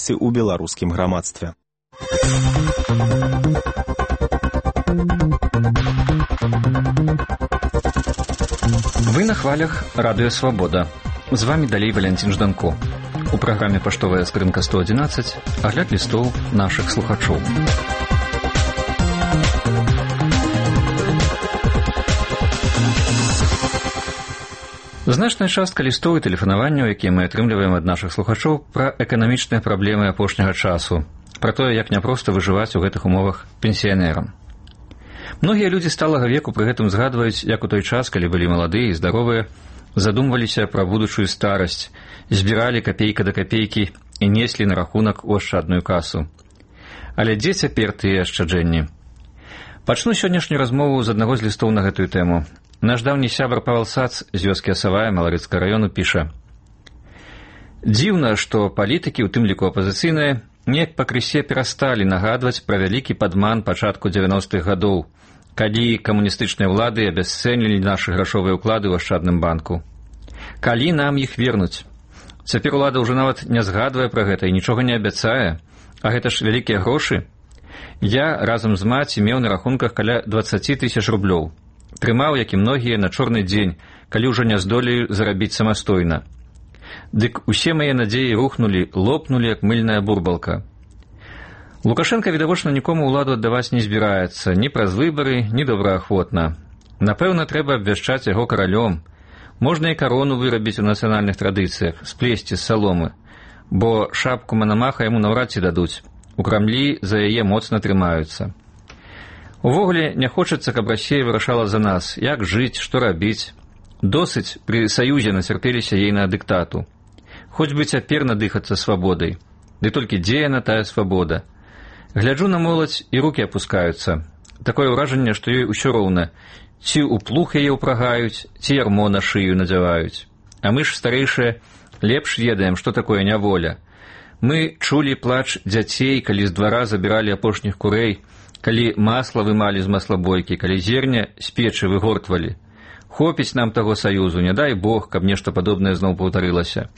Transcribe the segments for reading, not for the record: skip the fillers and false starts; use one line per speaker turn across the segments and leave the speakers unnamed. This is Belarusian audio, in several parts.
супольнасці ў беларускім грамадстве.
Вы на хвалях Радыё Свабода. З вами далей Валянцін Жданко. У праграме «Паштовая скрынка 111» агляд лістоў нашых слухачоў. Значная частка лістоў і тэлефанаванняў, якія мы атрымліваем ад нашых слухачоў, пра эканамічныя праблемы апошняга часу, пра тое, як няпроста выжываць у гэтых умовах пенсіянерам. Многія людзі сталага веку пры гэтым згадваюць, як у той час, калі былі маладыя і здаровыя, задумваліся пра будучую старасць, збіралі капейка да капейкі і неслі на рахунак у ашчадную касу. Але дзе цяпер тыя ашчаджэнні? Пачну сённяшнюю размову з аднаго з лістоў на гэтую тэму. Наш даўні сябар Павел Сац з вёскі Асавая Маларыцкага раёну піша: «Дзіўна, што палітыкі, у тым ліку апазіцыйныя, неяк пакрысе перасталі нагадваць пра вялікі падман пачатку 90-х гадоў, калі камуністычныя ўлады абясцэнілі нашы грашовыя ўклады ў ашчадным банку. Калі нам іх вернуць? Цяпер улада ўжо нават не згадвае пра гэта і нічога не абяцае, а гэта ж вялікія грошы. Я разам з маці меў на рахунках каля 20 000 рублёў. Трымаў, як і многія, на чорны дзень, калі ўжо не здолею зарабіць самастойна. Дык усе мае надзеі рухнулі, лопнулі, як мыльная бурбалка. Лукашенко, відавочна, нікому ўладу аддаваць не збіраецца, ні праз выбары, ні добраахвотна. Напэўна, трэба абвяшчаць яго каралём. Можна і карону вырабіць у нацыянальных традыцыях, сплесці з саломы, бо шапку Манамаха яму наўрад ці дадуць. У Крамлі за яе моцна трымаюцца. Увогуле, не хочацца, каб Расія вырашала за нас, як жыць, што рабіць. Досыць пры саюзе нацярпеліся ей на дыктату. Хоць бы цяпер надыхацца свабодай. Ды толькі дзе яна тая свабода? Гляджу на моладзь, і рукі апускаюцца. Такое ўражанне, што ёй усё роўна. Ці ў плуг яе ўпрагаюць, ці ярмо на шыю надзяваюць. А мы ж, старэйшыя, лепш ведаем, што такое няволя. Мы чулі плач дзяцей, калі з двара забіралі апошніх курэй, калі масла вымалі з маслабойкі, калі зерня з печы выгортвалі. Хопіць нам таго саюзу, не дай Бог, каб нешта падобнае зноў паўтарылася.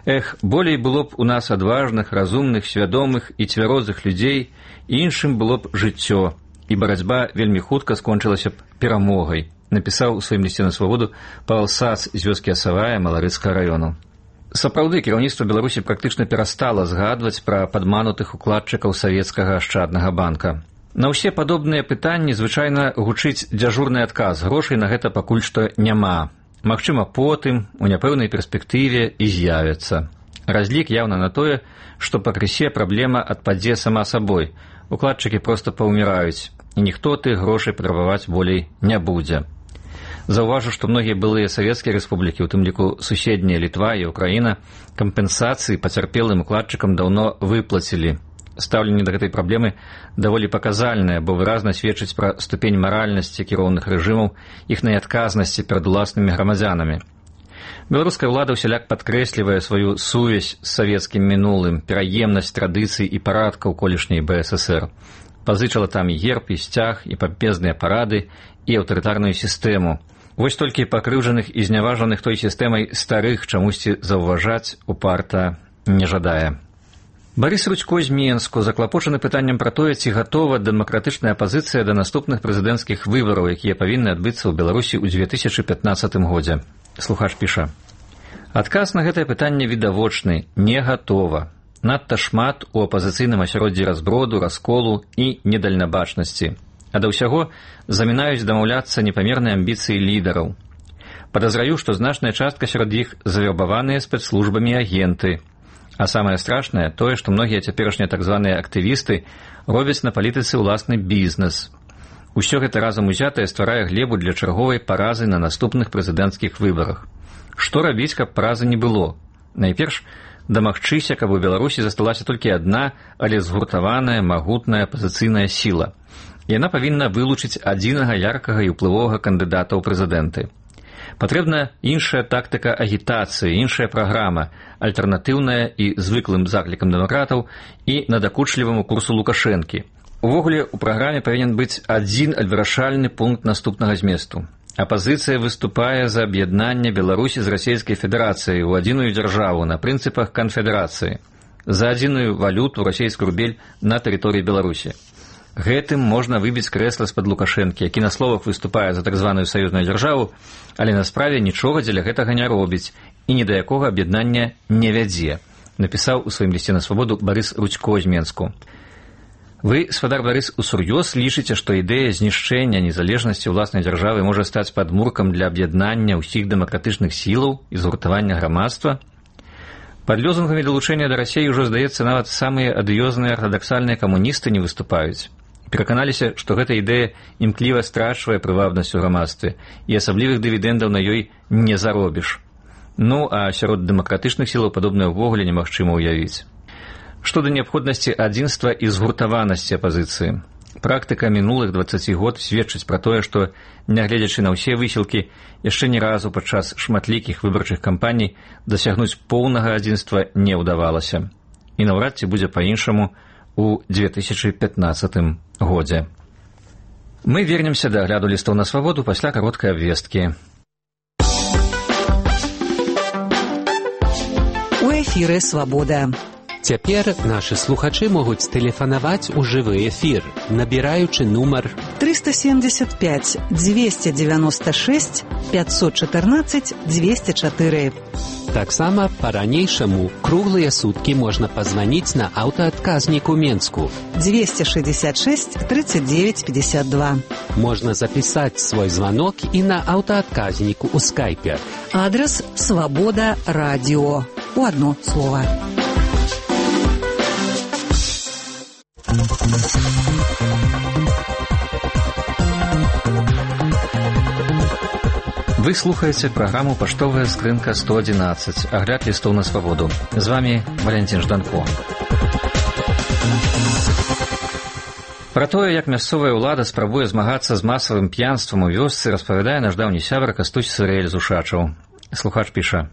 Эх, болей было б у нас адважных, разумных, свядомых і цвярозых людзей, і іншым было б жыццё, і барацьба вельмі хутка скончылася б перамогай, напісаў у сваім лісце на свабоду Павел Сац з вёскі Асавая Маларыцкага раёну. Сапраўды, кіраўніцтва Беларусі практычна перастала згадваць пра падманутых укладчыкаў савецкага ашчаднага банка. На ўсе падобныя пытанні звычайна гучыць дзяжурны адказ. Грошай на гэта пакуль што няма. Магчыма, потым, у няпэўнай перспектыве і з'явяцца. Разлік яўна на тое, што пакрысе праблема адпадзе сама сабой. Укладчыкі проста паўміраюць, і ніхто тых грошай патрабаваць болей не будзе. Заўважу, што многія былыя савецкія рэспублікі, у тым ліку суседнія Літва і Украіна, кампенсацыі пацярпелым укладчыкам даўно выплацілі. Стаўленне да гэтай праблемы даволі паказальнае, бо выразна сведчыць пра ступень маральнасці кіроўных рэжымаў, іхнай адказнасці перад уласнымі грамадзянамі. Беларуская ўлада ўсяляк падкрэслівае сваю сувязь з савецкім мінулым, пераемнасць традыцый і парадкаў колішняй БССР. Пазычала там і герб, і сцяг, і пампезныя парады, і аўтарытарную сістэму. Вось толькі пакрыўджаных і зняважаных той сістэмай старых чамусьці заўважаць упарта не жадае. Барыс Рудзько з Менску заклапочаны пытаннем пра тое, ці гатова дэмакратычная апазіцыя да наступных прэзідэнцкіх выбараў, якія павінны адбыцца ў Беларусі ў 2015 годзе. Слухач піша: «Адказ на гэтае пытанне відавочны, не гатова. Надта шмат у апазіцыйным асяроддзі разброду, расколу і недальнабачнасці. А да ўсяго замінаюць дамаўляцца непамерныя амбіцыі лідараў. Падазраю, што значная частка сярод іх завербаваныя спецслужбамі агенты. А самае страшнае тое, што многія цяперашнія так званыя актывісты робяць на палітыцы ўласны бізнес. Усё гэта разам узятае стварае глебу для чарговай паразы на наступных прэзідэнцкіх выбарах. Што рабіць, каб паразы не было? Найперш, дамагчыся, каб у Беларусі засталася толькі адна, але згуртаваная, магутная апазіцыйная сіла. Яна павінна вылучыць адзінага яркага і ўплывовага кандыдата ў прэзідэнты. Патрэбна іншая тактыка агітацыі, іншая праграма, альтэрнатыўная і звыклым заклікам дэмакратаў і надакучліваму курсу Лукашэнкі. Увогуле, у праграме павінен быць адзін вырашальны пункт наступнага зместу. Апазіцыя выступае за аб'яднанне Беларусі з Расійскай Федэрацыяй у адзіную дзяржаву на прынцыпах канфедэрацыі. за адзіную валюту расійскі рубель на тэрыторыі Беларусі. Гэтым можна выбіць крэсла з-пад Лукашэнкі, які на словах выступае за так званую саюзную дзяржаву, але на справе нічога дзеля гэтага не робіць і ні да якога аб'яднання не вядзе, напісаў у сваім лісце на свабоду Барыс Рудзько з Менску. Вы, спадар Барыс, усур'ёз лічыце, што ідэя знішчэння незалежнасці ўласнай дзяржавы можа стаць падмуркам для аб'яднання ўсіх дэмакратычных сілаў і згуртавання грамадства? Пад лёзунгамі далучэння да Расіі ўжо, здаецца, нават самыя адыёзныя артадаксальныя камуністы не выступаюць. Пераканаліся, што гэта ідэя імкліва страчвае прывабнасць у грамадстве і асаблівых дывідэндаў на ёй не заробіш. Ну, а сярод дэмакратычных сілаў падобнае ўвогуле немагчыма ўявіць. Што да неабходнасці адзінства і згуртаванасці апазіцыі. Практыка мінулых 20 год сведчыць пра тое, што, нягледзячы на ўсе высілкі, яшчэ ні разу падчас шматлікіх выбарчых кампаній дасягнуць поўнага адзінства не ўдавалася. І наўрад ці будзе па-іншаму у 2015 годзе. Мы вернемся да агляду лістоў на свабоду пасля кароткай абвесткі.
У эфіры «Свабода».
Цяпер нашы слухачы могуць тэлефанаваць у жывы эфір, набіраючы нумар
375 296 514 204.
Таксама па-ранейшаму круглыя суткі можна пазваніць на аўтаадказнік у Менску
266 39 52.
Можна запісаць свой званок і на аўтаадказніку ў скайпе.
Адрес «Свобода радио». У одно слово.
Вы слухаеце праграму «Паштовая скрынка 111», агляд лістоў на свабоду. З вами Валентин Жданко. Пра тое, як мясцовая ўлада спрабуе змагацца з масавым п'янствам у вёсцы, распавядае наш даўні сябар Кастусь Сырэль з Ушачаў. Слухач піша: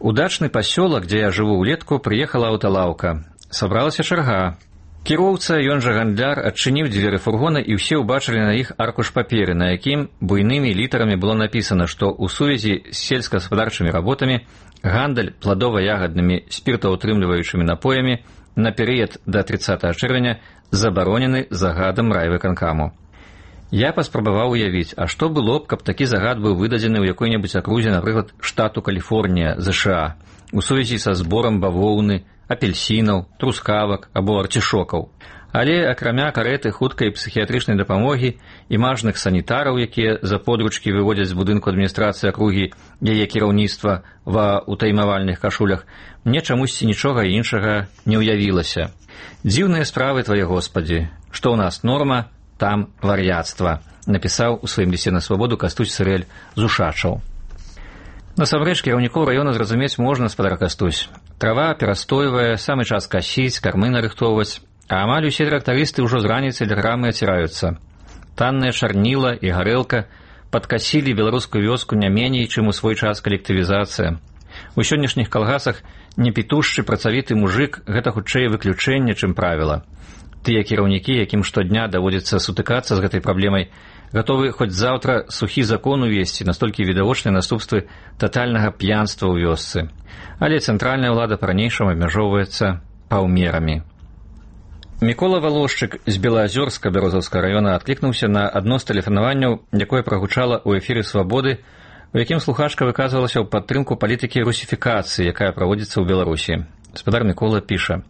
«У дачны пасёлак, дзе я жыву ўлетку, прыехала аўталаўка. Сабралася чарга. Кіроўца, ён жа гандляр, адчыніў дзверы фургона, і ўсе ўбачылі на іх аркуш паперы, на якім буйнымі літарамі было напісана, што ў сувязі з сельскагаспадарчымі работамі гандаль пладова-ягаднымі спіртаўтрымліваючымі напоямі на перыяд да 30 чэрвеня забаронены загадам райвыканкаму. Я паспрабаваў уявіць, а што было б, каб такі загад быў выдадзены ў якой-небудзь акрузе, напрыклад, штату Каліфорнія, ЗША, у сувязі са зборам бавоўны, апельсінаў, трускавак або арцішокаў. Але акрамя карэты хуткай псіхіятрычнай дапамогі і мажных санітараў, якія за подручкі выводзяць з будынку адміністрацыі акругі яе кіраўніцтва ва ўтаймавальных кашулях, мне чамусьці нічога іншага не ўявілася. Дзіўныя справы, твае Господі, што ў нас норма, там вар'яцтва, напісаў у сваім лісце на свабоду Кастусь Сырэль з Ушачаў. Насамрэч, кіраўнікоў раёна зразумець можна, спадар Кастусь. Трава перастойвае, самы час касіць, кармы нарыхтоўваць, а амаль усе трактарысты ўжо з раніцы тэлеграмы аціраюцца. Таннае чарніла і гарэлка падкасілі беларускую вёску не меней, чым у свой час калектывізацыя. У сённяшніх калгасах непітушчы працавіты мужык – гэта хутчэй выключэнне, чым правіла. Тыя кіраўнікі, якім штодня даводзіцца сутыкацца з гэтай праблемай, гатовы хоць заўтра сухі закон увесці, настолькі відавочныя наступствы татальнага п'янства ў вёсцы. Але цэнтральная ўлада па-ранейшаму абмяжоўваецца паўмерамі. Мікола Валошчык з Белаазёрска Бярозаўскага раёна адклікнуўся на адно з тэлефанаванняў, якое прагучала ў эфіры «Свабоды», у якім слухачка выказвалася ў падтрымку палітыкі русіфікацыі, якая праводзіцца ў Беларусі. Спадар Мікола піша: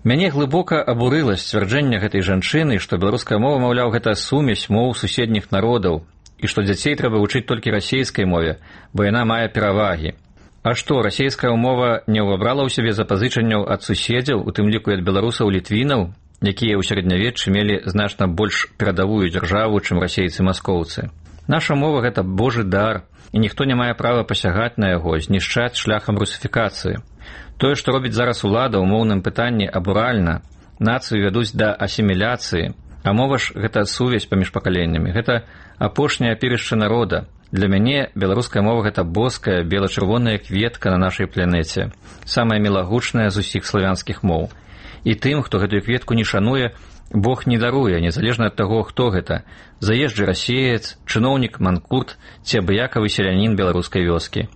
«Мяне глыбока абурыла сцвярджэнне гэтай жанчыны, што беларуская мова, маўляў, гэта сумесь моў суседніх народаў, і што дзяцей трэба вучыць толькі расейскай мове, бо яна мае перавагі. А што, расейская мова не ўвабрала ў сябе запазычанняў ад суседзяў, у тым ліку і ад беларусаў-літвінаў, якія ў сярэднявеччы мелі значна больш перадавую дзяржаву, чым расейцы-маскоўцы. Наша мова – гэта Божы дар, і ніхто не мае права пасягаць на яго, знішчаць шляхам русіфікацыі. Тое, што робіць зараз улада ў моўным пытанні, абуральна. Нацыю вядуць да асіміляцыі, а мова ж – гэта сувязь паміж пакаленнямі, гэта апошняе апірышча народа. Для мяне беларуская мова – гэта боская, бела-чырвоная кветка на нашай планеце, самая мілагучная з усіх славянскіх моў. І тым, хто гэтую кветку не шануе, Бог не даруе, незалежна ад таго, хто гэта – заезджы расеец, чыноўнік, манкурт ці абыякавы селянін беларускай вёскі.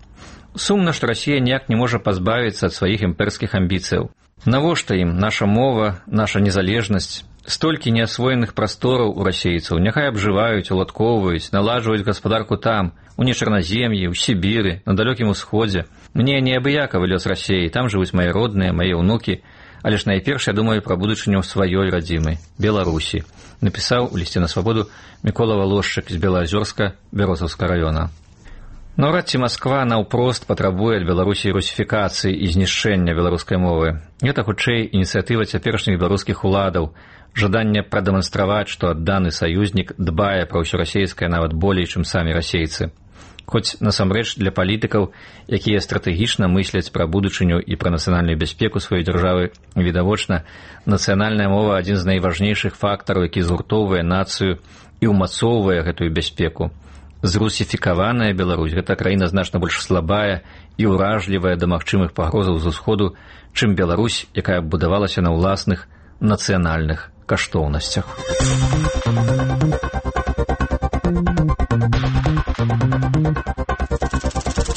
Сумна, што Расія ніяк не можа пазбавіцца ад сваіх імперскіх амбіцыяў. Навошта ім наша мова, наша незалежнасць? Столькі неасвоеных прастораў у расейцаў, няхай абжываюць, уладкоўваюць, наладжваюць гаспадарку там, у Нечарназем'і, у Сібіры, на далёкім усходзе. Мне неабыякавы лёс Расеі, там жывуць мае родныя, мае ўнукі, але ж найперш я думаю пра будучыню сваёй радзімы, Беларусі, напісаў у лісце на свабоду Мікола Валошчык з Белаазёрска Бярозаўскага раёна. Наўрад ці Масква наўпрост патрабуе ад Беларусі русіфікацыі і знішчэння беларускай мовы. Гэта хутчэй ініцыятыва цяперашніх беларускіх уладаў, жаданне прадэманстраваць, што адданы саюзнік дбае пра ўсё расейскае нават болей, чым самі расейцы. Хоць насамрэч для палітыкаў, якія стратэгічна мысляць пра будучыню і пра нацыянальную бяспеку сваёй дзяржавы, відавочна, нацыянальная мова адзін з найважнейшых фактараў, які згуртоўвае нацыю і ўмацоўвае гэтую бяспеку. Зрусіфікаваная Беларусь – гэта краіна значна больш слабая і ўражлівая да магчымых пагрозаў з усходу, чым Беларусь, якая будавалася на ўласных нацыянальных каштоўнасцях.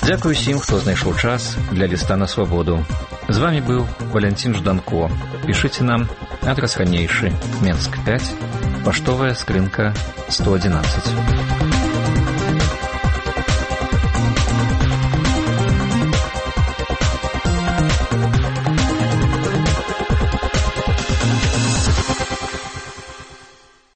Дзякуй усім, хто знайшоў час для ліста на свабоду. З вамі быў Валянцін Жданко. Пішыце нам, адрас ранейшы, Менск 5, паштовая скрынка 111.